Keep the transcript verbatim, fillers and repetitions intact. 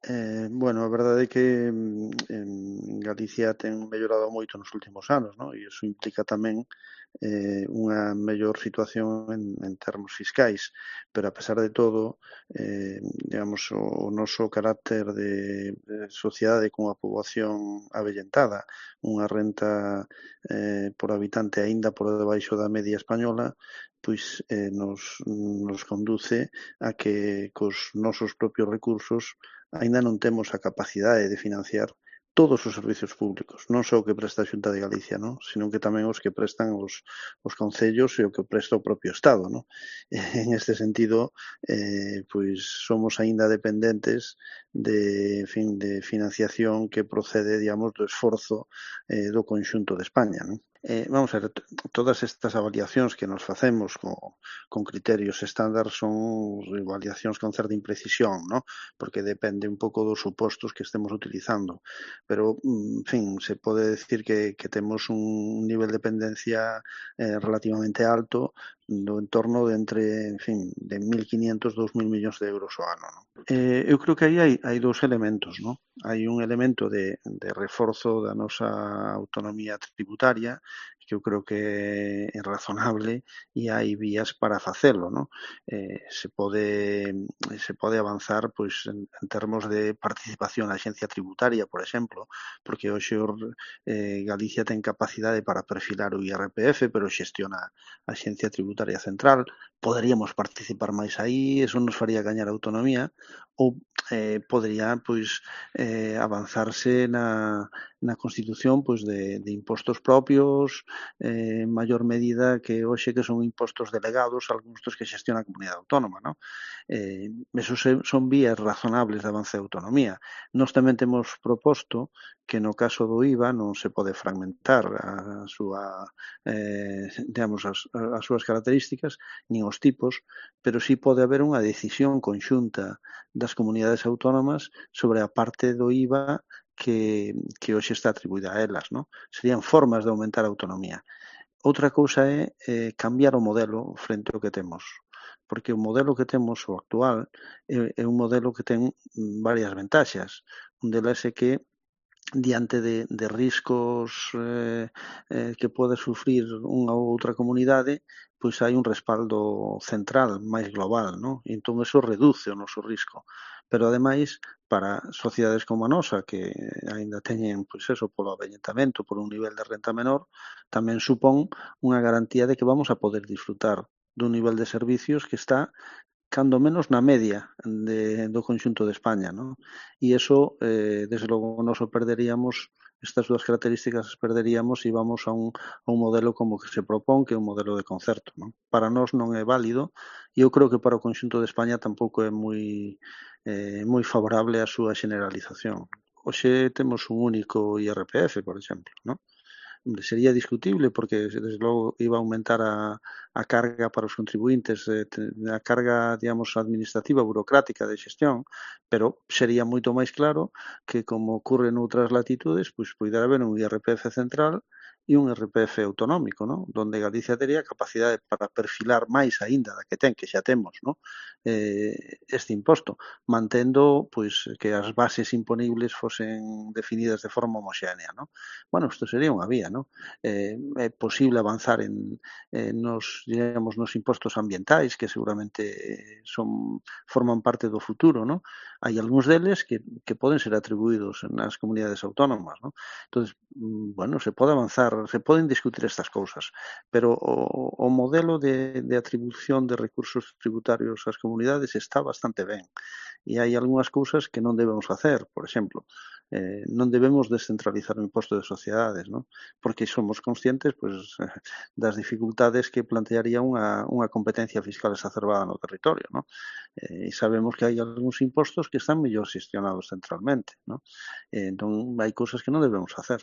Eh, bueno, a verdade é que mm, en Galicia ten mellorado moito nos últimos anos, non? E iso implica tamén eh, unha mellor situación en, en termos fiscais, pero a pesar de todo, eh, digamos, o, o noso carácter de, de sociedade con unha poboación avellentada, unha renta eh, por habitante aínda por debaixo da media española, pois eh, nos, nos conduce a que cos nosos propios recursos aínda non temos a capacidade de financiar todos os servizos públicos, non só o que presta a Xunta de Galicia, non? Senón que tamén os que prestan os, os concellos e o que presta o propio Estado, non? En este sentido, eh, pois somos aínda dependentes de, en fin, de financiación que procede, digamos, do esforzo eh, do conxunto de España, non? Eh, vamos a ver, todas estas avaliacións que nos facemos con, con criterios estándar son avaliacións con certa imprecisión, non? Porque depende un pouco dos supostos que estemos utilizando. Pero, en fin, se pode decir que, que temos un nivel de dependencia eh, relativamente alto do entorno de entre, en fin, de mil quinientos, dous mil millóns de euros ao ano. Non? Eh, eu creo que aí hai, hai dous elementos, non? Hai un elemento de, de reforzo da nosa autonomía tributaria, que eu creo que é razonable e hai vías para facelo, non? Eh, se pode se pode avanzar pois en, en termos de participación na Axencia Tributaria, por exemplo, porque hoxe eh, Galicia ten capacidade para perfilar o I R P F, pero xestiona a Axencia Tributaria Central. Poderíamos participar máis aí, eso nos faría gañar autonomía, ou eh, podería pois eh, avanzarse na, na constitución pois de, de impostos propios eh, en maior medida que hoxe que son impostos delegados, algúns dos que xestiona a comunidade autónoma, non? Eh, esos son vías razonables de avance de autonomía. Nós tamén temos proposto que no caso do I V A non se pode fragmentar a súa, eh, digamos, as, as súas características, nin os tipos, pero sí pode haber unha decisión conxunta das comunidades autónomas sobre a parte do I V A que, que hoxe está atribuída a elas, non? Serían formas de aumentar a autonomía. Outra cousa é eh, cambiar o modelo frente ao que temos, porque o modelo que temos, o actual, é, é un modelo que ten varias ventaxas. Un delas é que diante de, de riscos eh, eh, que pode sufrir unha ou outra comunidade, pois hai un respaldo central máis global, non? E entón eso reduce o noso risco. Pero ademais, para sociedades como a nosa, que aínda teñen, pois eso, polo avellentamento, por un nivel de renta menor, tamén supón unha garantía de que vamos a poder disfrutar dun nivel de servicios que está cando menos na media de, do conxunto de España, non? E iso, eh, desde logo, nos o perderíamos, estas dúas características as perderíamos e vamos a un, a un modelo como que se propón, que é un modelo de concerto, non? Para nós non é válido e eu creo que para o conxunto de España tampouco é moi, eh, moi favorable a súa generalización. Hoxe temos un único I R P F, por exemplo, non? Sería discutible porque, desde logo, iba a aumentar a, a carga para os contribuintes, eh, a carga, digamos, administrativa, burocrática de xestión, pero sería moito máis claro que, como ocurre noutras latitudes, pois poidera haber un I R P F central e un I R P F autonómico, ¿no? Donde Galicia tería capacidade para perfilar máis aínda da que ten, que xa temos, ¿no? eh, este imposto, mantendo pois que as bases imponibles fosen definidas de forma homoxénea, ¿no? Bueno, isto sería unha vía, ¿no? Eh, é posible avanzar en, en nos, digamos, nos impostos ambientais, que seguramente son forman parte do futuro, ¿no? Hai algúns deles que, que poden ser atribuídos nas comunidades autónomas, ¿no? Entonces, bueno, se pode avanzar, se poden discutir estas cousas, pero o, o modelo de, de atribución de recursos tributarios ás comunidades está bastante ben. E hai algunhas cousas que non debemos facer, por exemplo, eh, non debemos descentralizar o imposto de sociedades, non? Porque somos conscientes pois, das dificultades que plantearía unha, unha competencia fiscal exacerbada no territorio, non? Eh, e sabemos que hai algúns impostos que están mellor xestionados centralmente, non? Eh, entón, hai cousas que non debemos facer.